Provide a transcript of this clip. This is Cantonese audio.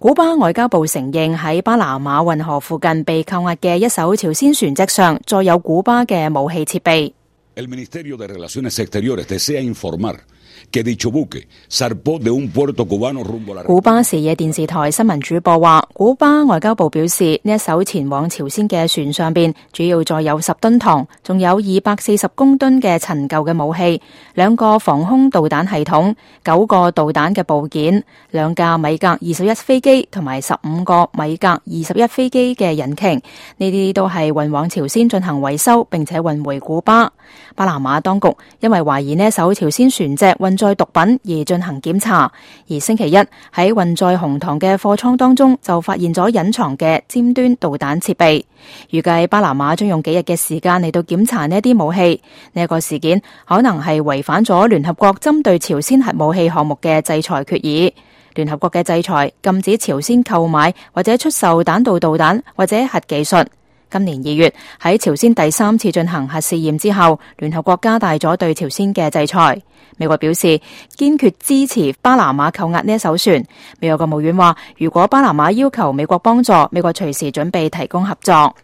古巴外交部承認喺巴拿馬運河附近被扣押嘅一艘朝鮮船隻上載有古巴嘅武器設備。El Ministerio de Relaciones Exteriores desea informar que dicho buque zarpó de un puerto cubano rumbo a la。古巴視野電視台新聞主播話，古巴外交部表示，呢一艘前往朝鮮嘅船上邊主要載有10噸糖，仲有240公噸嘅陳舊嘅武器，2個防空導彈系統，9個導彈嘅部件，2架米格21飛機同埋15個米格21飛機嘅引擎，呢啲都係運往朝鮮進行維修，並且運回古巴。巴拿馬當局因為懷疑呢一艘朝鮮船隻運載毒品而進行檢查，而星期一喺運載紅糖嘅貨倉當中就發現咗隱藏嘅尖端導彈設備。預計巴拿馬將用幾日嘅時間嚟到檢查呢啲武器。呢一個事件可能係違反咗聯合國針對朝鮮核武器項目嘅制裁決議。聯合國嘅制裁禁止朝鮮購買或者出售彈道導彈或者核技術。今年2月喺朝鮮第3次進行核試驗之後，聯合國加大咗對朝鮮嘅制裁。美國表示堅決支持巴拿馬扣押呢一艘船。美國國務院話，如果巴拿馬要求美國幫助，美國隨時準備提供合作。